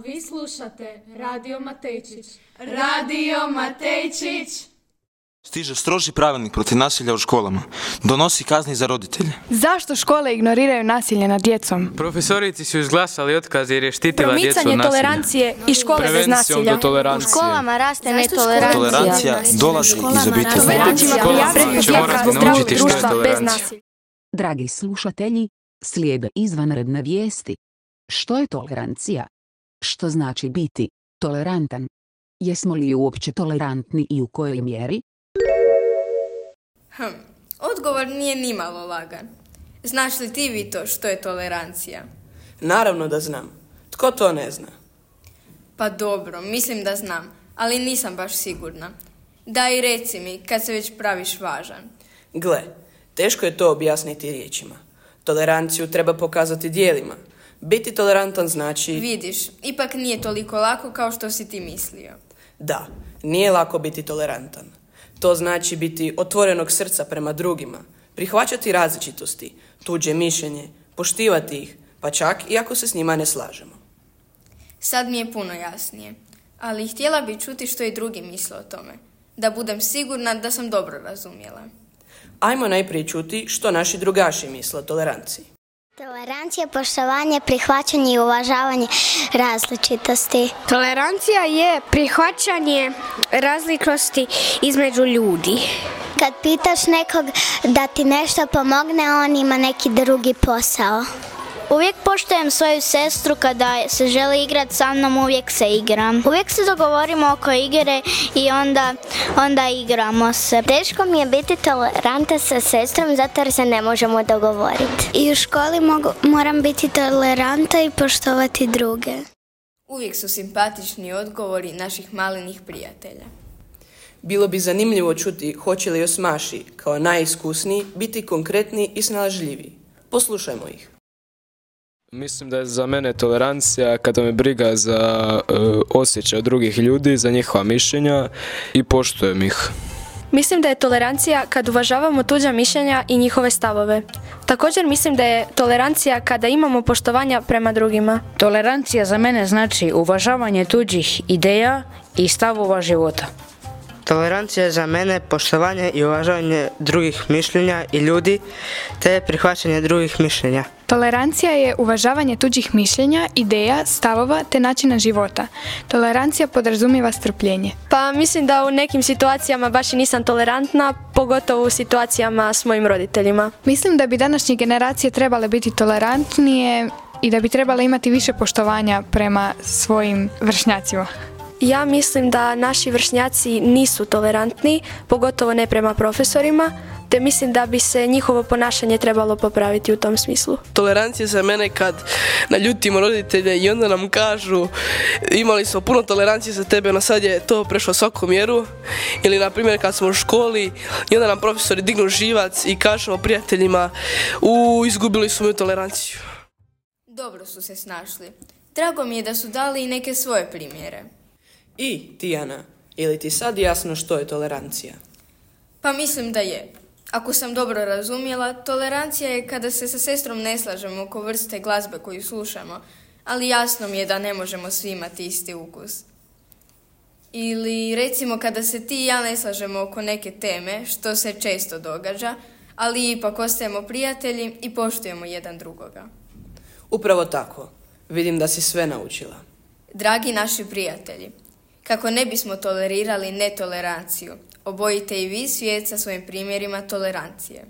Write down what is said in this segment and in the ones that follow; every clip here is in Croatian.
Vi slušate Radio Matejčić. Radio Matejčić. Stiže stroži pravilnik protiv nasilja u školama. Donosi kazni za roditelje. Zašto škole ignoriraju nasilje nad djecom? Profesorici su izglasali otkaz jer je štitila djecu od nasilja. Promicanje tolerancije i škole bez nasilja. U školama raste netolerancija. Tolerancija dolazi iz obitelji. Školama će morati naučiti što je tolerancija. Dragi slušatelji, slijede izvanredne vijesti. Što je tolerancija? Što znači biti tolerantan? Jesmo li uopće tolerantni i u kojoj mjeri? Odgovor nije nimalo lagan. Znaš li ti, Vito, što je tolerancija? Naravno da znam. Tko to ne zna? Pa dobro, mislim da znam, ali nisam baš sigurna. Daj reci mi, kad se već praviš važan. Gle, teško je to objasniti riječima. Toleranciju treba pokazati djelima. Biti tolerantan znači... Vidiš, ipak nije toliko lako kao što si ti mislio. Da, nije lako biti tolerantan. To znači biti otvorenog srca prema drugima, prihvaćati različitosti, tuđe mišljenje, poštivati ih, pa čak i ako se s njima ne slažemo. Sad mi je puno jasnije, ali htjela bi čuti što i drugi misle o tome, da budem sigurna da sam dobro razumjela. Ajmo najprije čuti što naši drugaši misle o toleranciji. Tolerancija je poštovanje, prihvaćanje i uvažavanje različitosti. Tolerancija je prihvaćanje različitosti između ljudi. Kad pitaš nekog da ti nešto pomogne, on ima neki drugi posao. Uvijek poštujem svoju sestru kada se želi igrati sa mnom, uvijek se igram. Uvijek se dogovorimo oko igre i onda igramo se. Teško mi je biti toleranta sa sestrom zato jer se ne možemo dogovoriti. I u školi moram biti toleranta i poštovati druge. Uvijek su simpatični odgovori naših malenih prijatelja. Bilo bi zanimljivo čuti hoće li osmaši, kao najiskusniji, biti konkretni i snalažljiviji. Poslušajmo ih. Mislim da je za mene tolerancija kada me briga za osjećaj drugih ljudi, za njihova mišljenja i poštujem ih. Mislim da je tolerancija kad uvažavamo tuđa mišljenja i njihove stavove. Također mislim da je tolerancija kada imamo poštovanja prema drugima. Tolerancija za mene znači uvažavanje tuđih ideja i stavova života. Tolerancija je za mene poštovanje i uvažavanje drugih mišljenja i ljudi, te prihvaćanje drugih mišljenja. Tolerancija je uvažavanje tuđih mišljenja, ideja, stavova te načina života. Tolerancija podrazumijeva strpljenje. Pa mislim da u nekim situacijama baš i nisam tolerantna, pogotovo u situacijama s mojim roditeljima. Mislim da bi današnje generacije trebale biti tolerantnije i da bi trebale imati više poštovanja prema svojim vršnjacima. Ja mislim da naši vršnjaci nisu tolerantni, pogotovo ne prema profesorima, te mislim da bi se njihovo ponašanje trebalo popraviti u tom smislu. Tolerancija za mene kad naljutimo roditelje i onda nam kažu imali smo puno tolerancije za tebe, no sad je to prešlo svaku mjeru. Ili na primjer kad smo u školi i onda nam profesori dignu živac i kažemo prijateljima izgubili smo moju toleranciju. Dobro su se snašli. Drago mi je da su dali i neke svoje primjere. I, Tijana, je li ti sad jasno što je tolerancija? Pa mislim da je. Ako sam dobro razumjela, tolerancija je kada se sa sestrom ne slažemo oko vrste glazbe koju slušamo, ali jasno mi je da ne možemo svi imati isti ukus. Ili recimo kada se ti i ja ne slažemo oko neke teme, što se često događa, ali ipak ostajemo prijatelji i poštujemo jedan drugoga. Upravo tako. Vidim da si sve naučila. Dragi naši prijatelji, kako ne bismo tolerirali netoleranciju, obojite i vi svijet sa svojim primjerima tolerancije.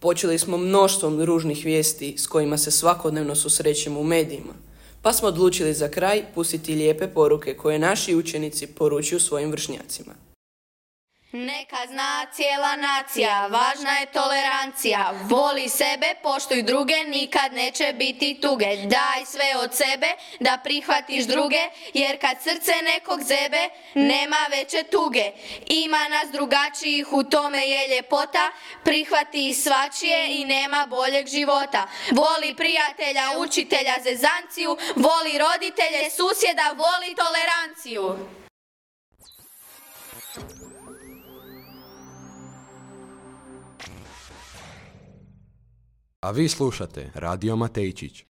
Počeli smo mnoštvom ružnih vijesti s kojima se svakodnevno susrećemo u medijima, pa smo odlučili za kraj pustiti lijepe poruke koje naši učenici poručuju svojim vršnjacima. Neka zna cijela nacija, važna je tolerancija. Voli sebe, poštuj druge, nikad neće biti tuge. Daj sve od sebe da prihvatiš druge, jer kad srce nekog zebe, nema veće tuge. Ima nas drugačijih, u tome je ljepota, prihvati svačije i nema boljeg života. Voli prijatelja, učitelja, zezanciju, voli roditelje, susjeda, voli toleranciju. A vi slušate Radio Matejčić.